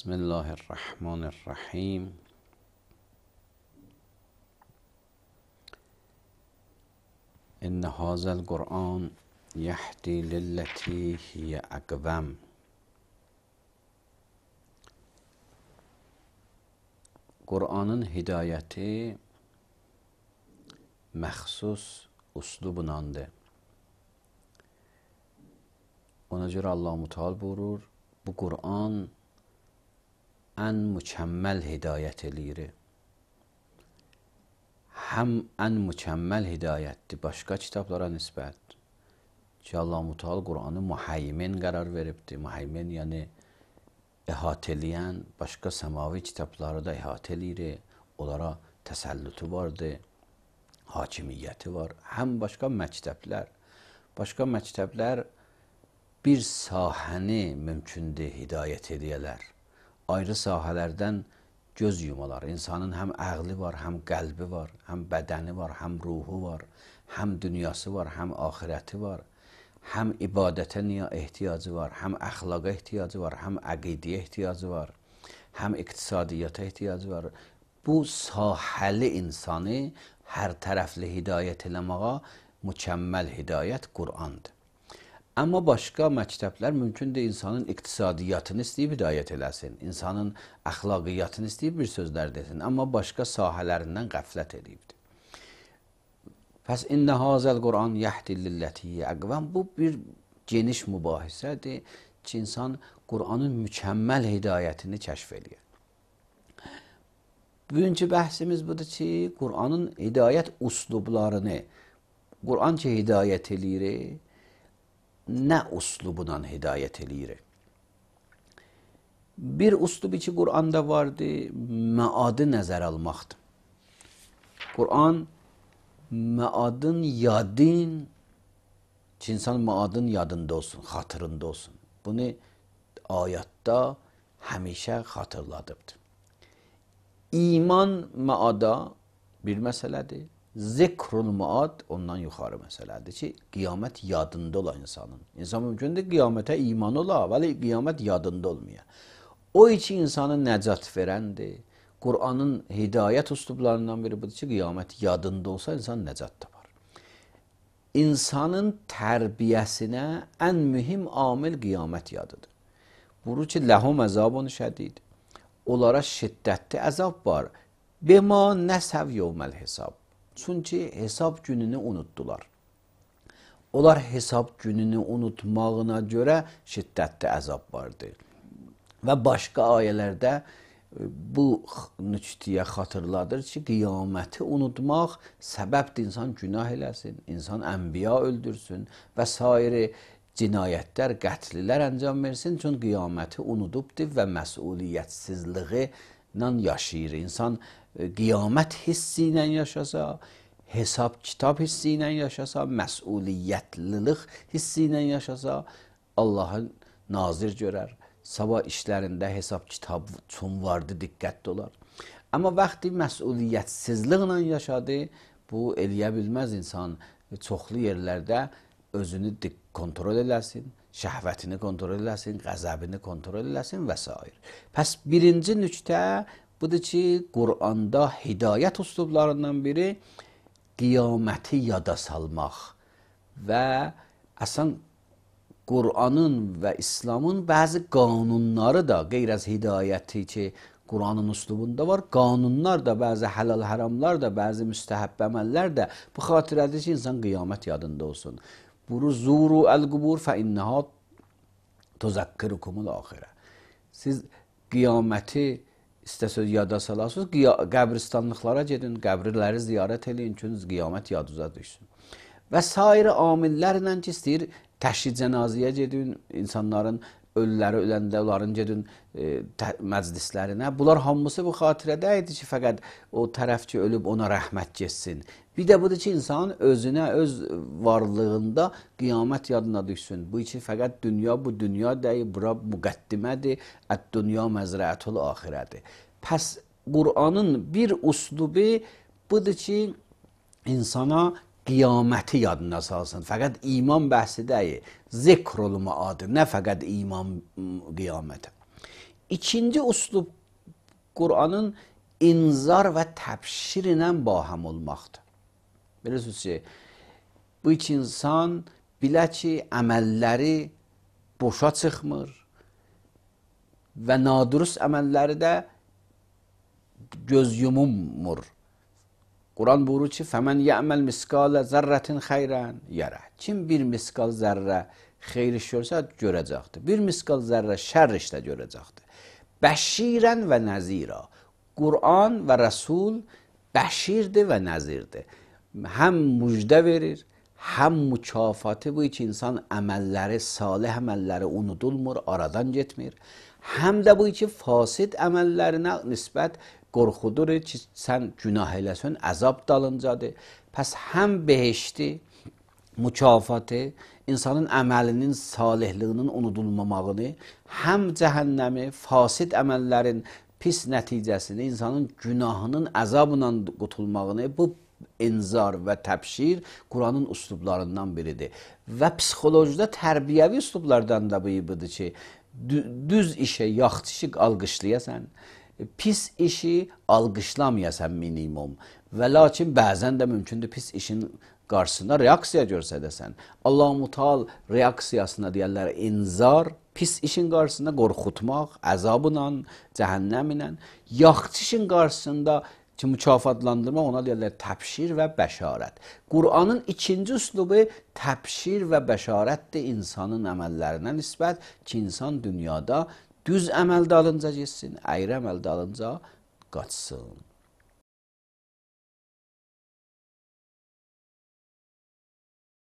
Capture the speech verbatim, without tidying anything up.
بسم الله الرحمن الرحیم. ان هذا القرآن یهدی للتی هی اقوم. Qur'anın hidayəti məxsus üslubundandır. Ona görə Allah-u Teala buyurur, bu Qur'an ən mükəmməl hidayət eləyir. Həm ən mükəmməl hidayətdir başqa kitablara nisbət. Ki Allah-u Teala Qur'anı muhaymin qərar veribdir. Muhaymin yəni əhatə eləyən, başqa səmavi kitabları da əhatə eləyir. Onlara təsəllütü vardır, hakimiyyəti var. Həm başqa məktəblər, başqa məktəblər bir sahəni mümkündür hidayət edələr. Ayrı sahələrdən göz yumalar. İnsanın həm ağlı var, həm qəlbi var, həm bədəni var, həm ruhu var, həm dünyası var, həm axirəti var. Həm ibadətə niyə ehtiyacı var, həm əxlaqa ehtiyacı var, həm əqidəyə ehtiyacı var, həm iqtisadiyyata ehtiyacı var. Bu sahəli insanı hər tərəfli hidayət eləməyə mükəmməl hidayət Qur'andır. Amma başqa məktəblər mümkündür insanın iqtisadiyyatını istəyib hidayət eləsin, insanın əxlaqiyyatını istəyib bir sözlər desin, amma başqa sahələrindən qəflət edibdir. Pəs innə hazəl Qur'an yəhdi lilləti əqvəm. Bu bir geniş mübahisədir ki, insan Qur'anın mükəmməl hidayətini kəşf edir. Bugünkü bəhsimiz budur ki, Qur'anın hidayət üslublarını, Qur'an ki hidayət eləyir, nə üslubundan hidayət eləyir? Bir üslubu ki Qur'anda vardır, məadı nəzər almaqdır. Qur'an məadın yadın ki, insan məadın yadında olsun, xatırında olsun. Bunu ayətdə həmişə xatırladıbdır. İman məada bir məsələdir. Zikrul məad ondan yuxarı məsələdir ki, qiyamət yadında ola insanın. İnsan mümkündür qiyamətə iman ola, vəli qiyamət yadında olmaya. O iki insanın nəcat verəndir. Qur'anın hidayət üslublarından biri budur ki, qiyamət yadında olsa insan nəcat tapar. İnsanın tərbiyəsinə ən mühüm amil qiyamət yadıdır. Buyurur ki, ləhum əzabun şədid. Onlara şiddətli əzab var. Bima nəsəv yevməl hesab. Çünki hesab gününü unutdular. Onlar hesab gününü unutmağına görə şiddətli əzab vardır. Və başqa ayələrdə bu nüktəyə xatırladır ki, qiyaməti unutmaq səbəbdir insan günah eləsin, insan ənbiya öldürsün və sair cinayətlər, qətlilər əncam versin. Çünki qiyaməti unudubdur və məsuliyyətsizliyi ilə yaşayır. İnsan qiyamət hissi ilə yaşasa, hesab kitab hissi ilə yaşasa, məsuliyyətlilik hissi ilə yaşasa, Allahı nazir görər. Sabah işlərində hesab kitab üçün vardı, diqqətli olar. Amma vaxtı məsuliyyətsizliklə yaşadı, bu eləyə bilməz insan. Çoxlu yerlərdə özünü kontrol eləsin, şəhvətini kontrol eləsin, qəzəbini kontrol eləsin və s. Pəs birinci nüktə budur ki, Qur'anda hidayət üslublarından biri qiyaməti yada salmaq və əsən Qur'anın və İslamın bəzi qanunları da qeyr az hidayəti ki, Qur'anın üslubunda var. Qanunlar da, bəzi həlal haramlar da, bəzi müstəhəbb əməllər də bu xatirədir ki, insan qiyamət yadında olsun. Buyurur, zuru əl-qubur fə innəhə tuzəkkirukumul axirə. Siz qiyaməti istəsəz yada salasınız, qəbristanlıqlara gedin, qəbirləri ziyarət edin, ki, qiyamət yaduza düşsün. Və sair amillərlə ki, istəyir, təşhid cənazəyə gedin, insanların ölüləri öləndə onların gedin e, məclislərinə. Bunlar hamısı bu xatirədə idi ki, fəqət o tərəf ki, ölüb ona rəhmət getsin. Bir də budur ki, insan özünə, öz varlığında qiyamət yadına düşsün. Bu için fəqət dünya bu dünya deyil, bura müqəddimədir, ət-dünya məzrəətul axirədir. Pəs Qur'anın bir üslubu budur ki, insana qiyaməti yadına salsın. Fəqət iman bəhsi deyil, zikrul məad, nə fəqət iman qiyamətə. İkinci uslub Qur'anın inzar və təbşir ilə baham olmaqdır. Bilirsiniz ki, bu iki insan bilə ki, əməlləri boşa çıxmır və nadurust əməlləri də göz yumulmur. Quran buyurur ki, فَمَنْ يَعْمَلْ مِسْقَالَ ذَرَّةٍ خَيْرًا يَرَى. Kim bir miskal zərrə xeyir iş görsə görəcəkdir. Bir miskal zərrə şər işdə görəcəkdir. Bəşirən və nəzira. Quran və Rəsul bəşirdir və nəzirdir. Həm müjdə verir, həm mükafatı bu iki insan əməlləri, salih əməlləri unudulmur, aradan getmir. Həm də bu iki fasid əməllərinə nisbət qorxudur ki, sən günah eləsən, əzab dalıncadır. Pəs həm behişti, mükafatı, insanın əməlinin salihliyinin unudulmamağını, həm cəhənnəmi, fasid əməllərin pis nəticəsini, insanın günahının əzabla qutulmağını, bu inzar və təbşir Quranın üslublarından biridir. Və psixolojide tərbiyəvi üslublardan da bu ibudur ki, düz işe, yaxşı işi alqışlayasan, pis işi alqışlamayasan minimum. Və lakin bəzən də mümkündür pis işin qarşısında reaksiya görsədəsən. Allah-u Teala reaksiyasına deyərlər inzar, pis işin qarşısında qorxutmaq, əzabla, cəhənnəmlə, yaxşı işin qarşısında ki, mükafatlandırmaq, ona deyərlər təbşir və bəşarət. Qur'anın ikinci üslubu təbşir və bəşarətdir insanın əməllərinə nisbət ki, insan dünyada düz əməl dalınca getsin, əyri əməl dalınca qaçsın.